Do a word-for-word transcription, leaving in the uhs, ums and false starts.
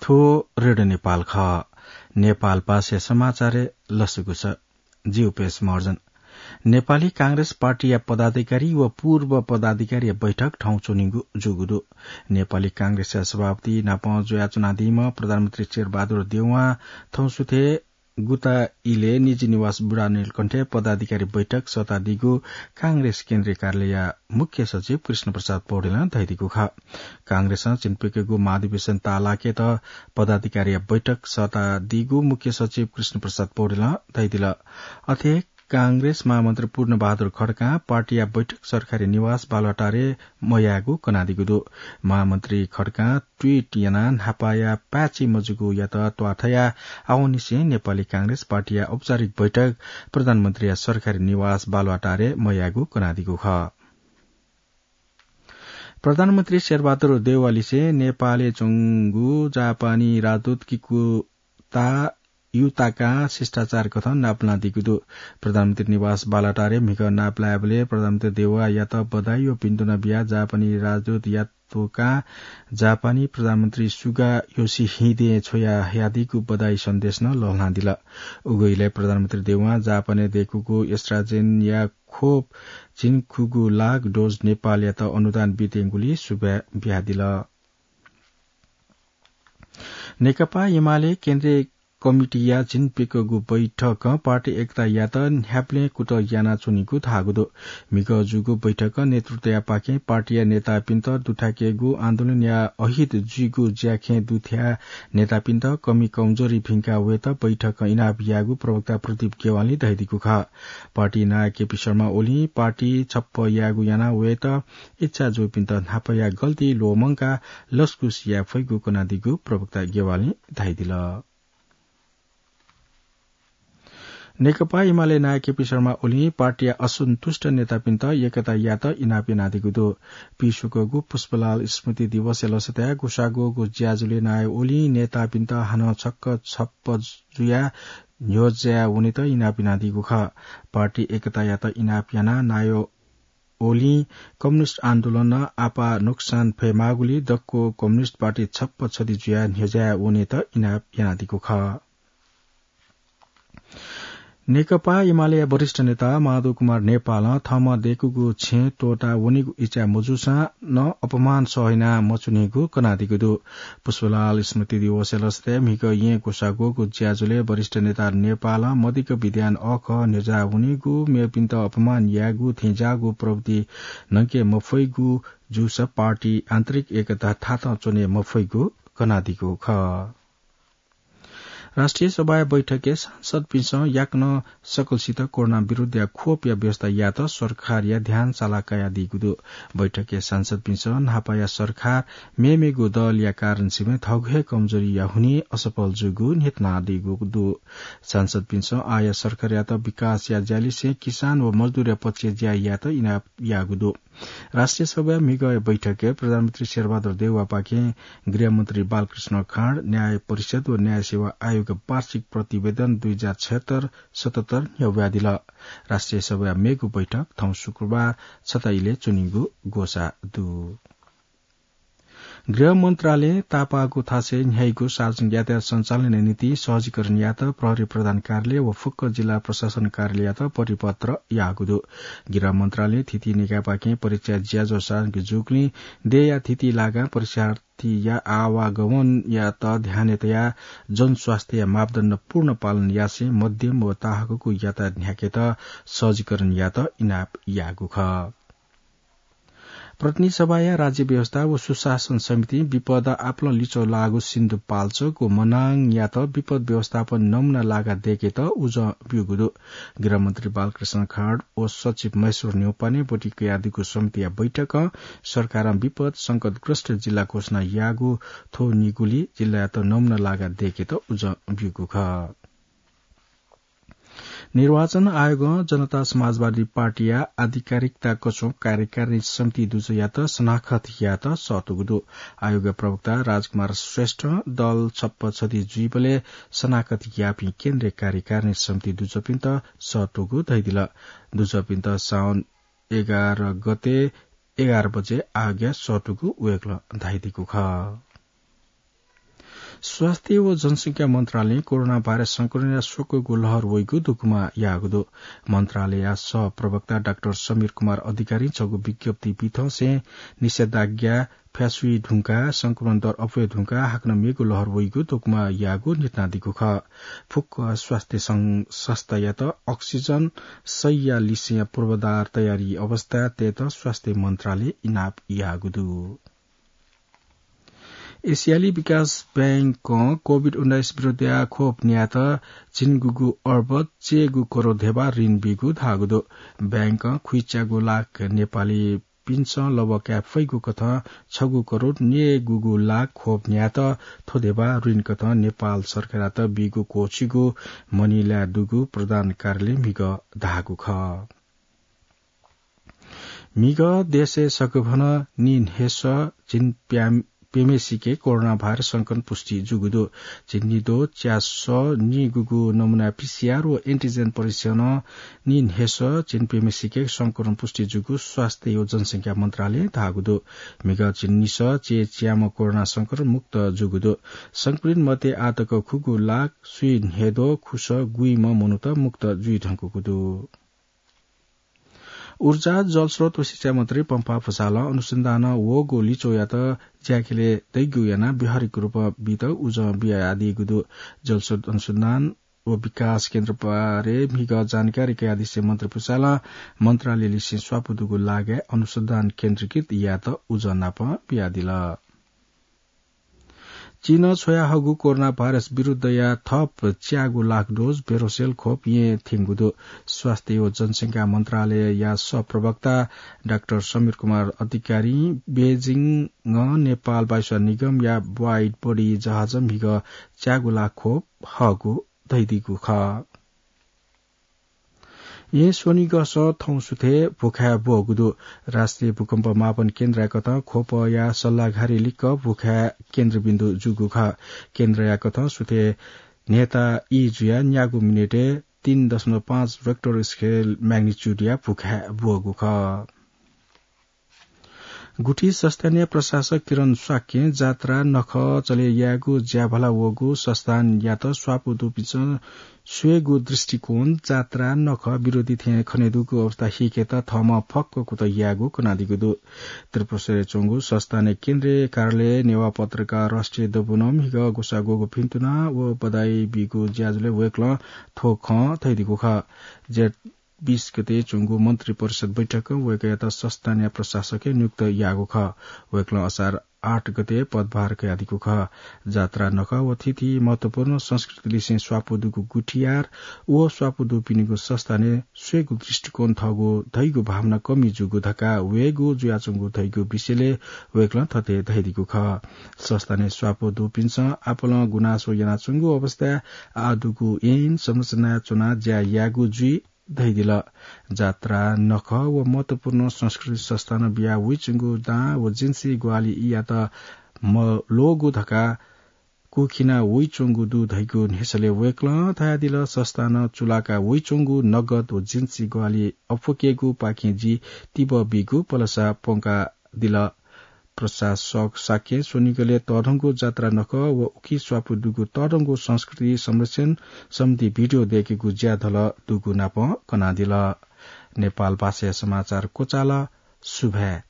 थ्व रेडियो नेपाल खः। नेपाल भाषा समाचार लसुगु छ। जिउ पेश महर्जन। नेपाली कांग्रेस पार्टीया पदाधिकारी व पूर्व पदाधिकारीया बैठक थौं च्वनीगु जूगु दु। नेपाली कांग्रेसया सभापति नाप जुयाच्वनादीम्ह प्रधानमन्त्री शेरबहादुर देउवां थौं सुथे गुता इलय् निजी निवास बुढानीलकण्ठय् पदाधिकारी बैठक सःतादीगु कांग्रेस केन्द्रीय कार्यालयया मुख्य सचिव कृष्ण प्रसाद पौडेलं धयादीगु खः। कांग्रेसं झिंप्यखेगु महाधिवेशन ताःलाकेत पदाधिकारीया बैठक सःतादीगु मुख्य सचिव कृष्ण प्रसाद पौडेलं धयादिल। अथे कांग्रेस महामन्त्री पूर्णबहादुर खड्कां पार्टीया बैठक सरकारी निवास बालुवाटारय् मयायेगु कनादीगु दु। महामन्त्री खड्कां ट्वीट यानाः न्हापाया पाय्‌छि मजूगुयात त्वाथया आवंनिसें नेपाली कांग्रेस पार्टीया औपचारिक बैठक प्रधानमन्त्रीया सरकारी निवास बालुवाटारय् मयायेगु कनादीगु खः। प्रधानमन्त्री शेरबहादुर देउवालिसें नेपालय् च्वंगु जापानी राजदूत किकुता युताकां शिष्टाचार कथं नापलानादीगु दु। प्रधानमन्त्री निवास बालुवाटारय् म्हिगः नापलायेबलय् प्रधानमन्त्री देउवायात बधाई व भिन्तुना बियाः जापानी राजदूत यातोकां जापानी प्रधानमन्त्री सुगा योसिहिदें छ्वयाहयादीगु बधाई सन्देश नं लःल्हानादिल। उगु इलय् प्रधानमन्त्री देउवां जापानय् दय्‌कूगु AstraZeneca खोप झिंखुगू लाख डोज नेपालयात अनुदान बीत्यंगुलिं सुभाय् बियादिल। नेकपा एमाले केन्द्रीय कमिटीया झिंप्यखेगु बैठकं पार्टी एकतायात न्ह्याबलें कुतः यानाच्वनीगु धाःगु दु। म्हिगः जूगु बैठकं नेतृत्वयापाखें पार्टीया नेतापिन्त दुथ्याकेगु आन्दोलनया अहित जुइगु ज्याखँय् दुथ्याः नेतापिन्त कमी कमजोरी भिंका वयेत बैठकं इनाप याःगु प्रवक्ता प्रदीप गेवालीं धयादीगु खः। पार्टी नायः केपी शर्मा ओलीं पार्टी छप्पँ यायेगु याना वयेत इच्छा जूपिन्त न्हापाया गल्ती ल्वःमंकाः लसकुस याये फइगु कनादीगु प्रवक्ता गेवालीं धयादिल। नेकपा एमाले नायः केपी शर्मा ओलीं पार्टीया असन्तुष्ट नेतापिन्त एकतायात इनाप यानादीगु दु। पिछ्वःगु पुष्पलाल स्मृति दिवसया लसताय् ग्वसाः ग्वःगु ज्याझ्वलय् नायः ओलीं नेतापिन्त हानं छक्क छप्पँ जुयाः न्ह्यज्याः वनेत इनाप यानादीगु खः। पार्टी एकतायात इनाप यानाः नायः ओलीं कम्युनिस्ट आन्दोलनं आपाः नोक्सान फयेमाःगुलिं दक्व कम्युनिस्ट पार्टी छप्पँ छधी जुयाः न्ह्यज्याः वनेत इनाप यानादीगु खः। नेकपा एमालेया वरिष्ठ नेता माधव कुमार नेपालं थःम्हं दय्‌कूगु छेँ त्वःता वनेगु इच्छा मजूसां नं अपमान सह याना मच्वनीगु कनादीगु दु। पुष्पलाल स्मृति दिवसया लसताय् म्हिगः येँ ग्वसाः ग्वःगु ज्याझ्वलय् वरिष्ठ नेता नेपालं मदिक्क विधान अःखः न्ह्यज्याः वनीगु, मेपिन्त अपमान यायेगु थेंज्याःगु प्रवृत्ति न्हंके मफइगु जूसा पार्टी आन्तरिक एकता थातं च्वने मफइगु कनादीगु खः। राष्ट्रिय सभाया बैठकय् सांसदपिन्सं याकनं सकलसित कोरोना विरुद्धया खोपया व्यवस्था यायेत सरकारया ध्यान साला कयादीगु दु। बैठकय् सांसदपिन्सं न्हापाया सरकार मेमेगु दलया कारणसिबें थःगु हे कमजोरीया हुनिं असफल जूगु न्ह्यथनादीगु दु। सांसदपिन्सं आःया सरकारयात विकासया ज्यालिसें किसान व मजदुरया पक्षय् ज्या यायेत इनाप याःगु दु। राष्ट्रिय सभाया म्हिगःया बैठकय् प्रधानमन्त्री शेरबहादुर देउवापाखें गृहमन्त्री बालकृष्ण खाँड, न्याय परिषद व न्याय सेवा आयोगया वार्षिक प्रतिवेदन दुई हजार छयत्तर सतहत्तर न्ह्यब्वयादिल। राष्ट्रिय सभाया मेगु बैठक थौं शुक्रबार छता इलय् च्वनीगु ग्वसाः दु। गृह मन्त्रालयं तापाःगु थासय् न्ह्याइगु सार्वजनिक यातायात सञ्चालनया निंतिं सहजीकरण यायेत प्रहरी प्रधान कार्यालय व फुक्क जिल्ला प्रशासन कार्यालययात परिपत्र याःगु दु। गृह मन्त्रालयं थीथी निकायपाखें परीक्षा ज्याझ्वः सार्वजनिक जूगुलिं देय्‌या थीथी लागां परीक्षार्थीया आवागमनयात ध्यानय् तयाः जनस्वास्थ्यया मापदण्ड पूर्ण पालन यासें मध्यम व ताहाकःगु यातायात न्ह्याकेत सहजीकरण यायेत इनाप याःगु खः। प्रतिनिधि सभाया राज्य व्यवस्था व सुशासन समितिं विपद आपालं लिच्वः लाःगु सिन्धुपाल्चोक व मनाङयात विपद व्यवस्थापन नमुना लागा दय्‌केत उजं ब्यूगु दु। गृहमन्त्री बालकृष्ण खाँड व सचिव महेश्वर न्यौपाने ब्वति कयादीगु समितिया बैठकं सरकारं विपद संकटग्रस्त जिल्ला घोषणा याःगु थ्व निगुली जिल्लायात नमुना लागा दय्‌केत उजं ब्यूगु खः। निर्वाचन आयोगं जनता समाजवादी पार्टीया आधिकारिकता कछुं कार्यकारिणी समिति दुजःयात सनाखत यायेत सःतूगु दु। आयोगया प्रवक्ता राजकुमार श्रेष्ठं दल छप्पँ छधी जुइबलय् सनाखत याःपिं केन्द्रीय कार्यकारिणी समिति दुजःपिन्त सःतूगु धयादिल। दुजःपिन्त साउन एघार गते एघार बजे आयोगय् सःतूगु वय्‌कलं धयादीगु खः। स्वास्थ्य व जनसंख्या मन्त्रालयं कोरोना भाइरस संक्रमणया स्वकःगु लहर वइगु धुकुमा याःगु दु। मन्त्रालयया सह प्रवक्ता डाक्टर समीर कुमार अधिकारीं छगू विज्ञप्ति बिथंसें निषेधाज्ञा फ्यासुइ धुंकाः संक्रमण दर अप्वये धुंकाः हाकनं मेगु लहर वइगु धुकुमा याःगु न्ह्यथनादीगु खः। फुक्क स्वास्थ्य सं-, संस्थायात अक्सिजन शैया लिसेया पूर्वाधार तयारी अवस्था तयेत स्वास्थ्य मन्त्रालयं इनाप याःगु दु। एसियाली विकास बैंकं कोभिड उन्नाइस विरुद्धया खोप न्यायेत झिंगुगु अर्ब चय्गु करोड धेबा ऋण बीगु धाःगु दु। बैंकं खुइच्यागु लाख नेपालीपिन्सं लबः काये फइगु कथं छगू करोड न्यय्गुगु लाख खोप न्यायेत थ्व धेबा ऋण कथं नेपाल सरकारयात बीगु क्वःछिगु मनिलाय् दुगु प्रधान कार्यालयं म्हिगः धाःगु खः। म्हिगः देशय् सकभनं नीन्हय्सः झिंप्यम्हेसिके कोरोना भाइरस संक्रमण पुष्टि जूगु दु। झिंनिद्वः च्यासः नीगुगु नमुना पीसीआर व एन्टिजेन परीक्षणं नीन्हय्सः झिंप्यम्हेसिके संक्रमण पुष्टि जूगु स्वास्थ्य व जनसंख्या मन्त्रालयं धाःगु दु। म्हिगः झिंनिसः चय्च्याम्ह कोरोना संक्रमण मुक्त जूगु दु। संक्रमित मध्ये आःतक खुगू लाख स्वीन्हय्द्वः खुसः गुइम्ह मनूत मुक्त जुइधुंकूगु दु। ऊर्जा, जलस्रोत व सिँचाइ मन्त्री पम्फा भुसालं अनुसन्धानं वःगु लिच्वःयात ज्याखँय् दइगु यानाः व्यावहारिक रूप बीत उजं बियादीगु दु। जलस्रोत अनुसन्धान व विकास केन्द्र बारे म्हिगः जानकारी कयादिसें मन्त्री भुसालं मन्त्रालयलिसें स्वापू दुगु लागाय् अनुसन्धान केन्द्रीकृत यायेत उजं नाप बियादिल। चीनं छ्वयाहःगु कोरोना भाइरस विरुद्धया थप च्यागू लाख डोज भेरोसेल खोप येँ थ्यंगु दु। स्वास्थ्य व जनसंख्या मन्त्रालयया सहप्रवक्ता डाक्टर समीर कुमार अधिकारीं बेजिङं नेपाल वायुसेवा निगमया वाइड बडी जहाजं म्हिगः च्यागू लाख खोप हःगु धयादीगु खः। येँ स्वनिगःसं थौं सुथय् भुखाय् ब्वःगु दु। राष्ट्रिय भूकम्प मापन केन्द्रया कथं ख्वपया सल्लाघारी लिक्क भुखाय् केन्द्रबिन्दु जूगु खः। केन्द्रया कथं सुथय् न्हय्ता ई जुयाः न्यागू मिनेटय् तीन दशमलव पाँच रेक्टर स्केल म्याग्निच्युडया भुखाय् ब्वःगु खः। गुठी संस्थानया प्रशासक किरण शाक्यं जात्रा नखः चले यायेगु ज्याभला वःगु संस्थानयात स्वापू दुपिन्सं स्वयेगु दृष्टिकोण जात्रा नखः विरोधी थें खनेदुगु अवस्था हीकेत थःम्हं फक्व कुतः यायेगु कनादीगु दु। त्रिपुरेश्वरय् च्वंगु संस्थानया केन्द्रीय कार्यालयय् नेवाः पत्रकार राष्ट्रिय दबुनं म्हिगः ग्वसाः ग्वःगु भिन्तुना व बधाई बीगु ज्याझ्वलय् वय्कलं थ्व खँ धयादीगु खः। जेठ बीस गते च्वंगु मन्त्री परिषद बैठकं वय्कःयात संस्थानया प्रशासकय् नियुक्त याःगु खः। वय्कलं असार आठ गते पदभार कयादीगु खः। जात्रा नखः व थीथी महत्वपूर्ण संस्कृतिलिसें स्वापू दुगु गुठियार व स्वापू दुपिनिगु संस्थानय् स्वयेगु दृष्टिकोण थःगु धइगु भावना कमी जूगु धकाः वयेगु जुयाच्वंगु धइगु विषयलय् वय्कलं थथे धयादीगु खः। संस्थानय् स्वापू दुपिन्सं आपालं गुनासो यानाच्वंगु अवस्थाय् आः दुगु ऐन संरचनाय् च्वनाः ज्या यायेगु जुइ धयादिल। जात्रा नखः व महत्वपूर्ण संस्कृति संस्थानं बिया वइच्वंगु दां व जिन्सी ग्वाहालियात मल्वःगु धकाः कुखिना वइच्वंगु दु धइगु न्ह्यसलय् वय्कलं धयादिल। संस्थानं चुलाका वइच्वंगु नगद व जिन्सी ग्वाहालि अप्वकेगुपाखें जि तिबः बीगु पलसा प्वंका दिल। प्रशासक शाक्यं स्वनिगलय् तःधंगु जात्रा नखः व उकी स्वापू दुगु तःधंगु संस्कृति संरक्षण सम्बन्धी भिडियो दय्केगु ज्याधल दुगु नापं कनादिल। नेपाल भाषाया समाचार क्वचाल। सुभाय्।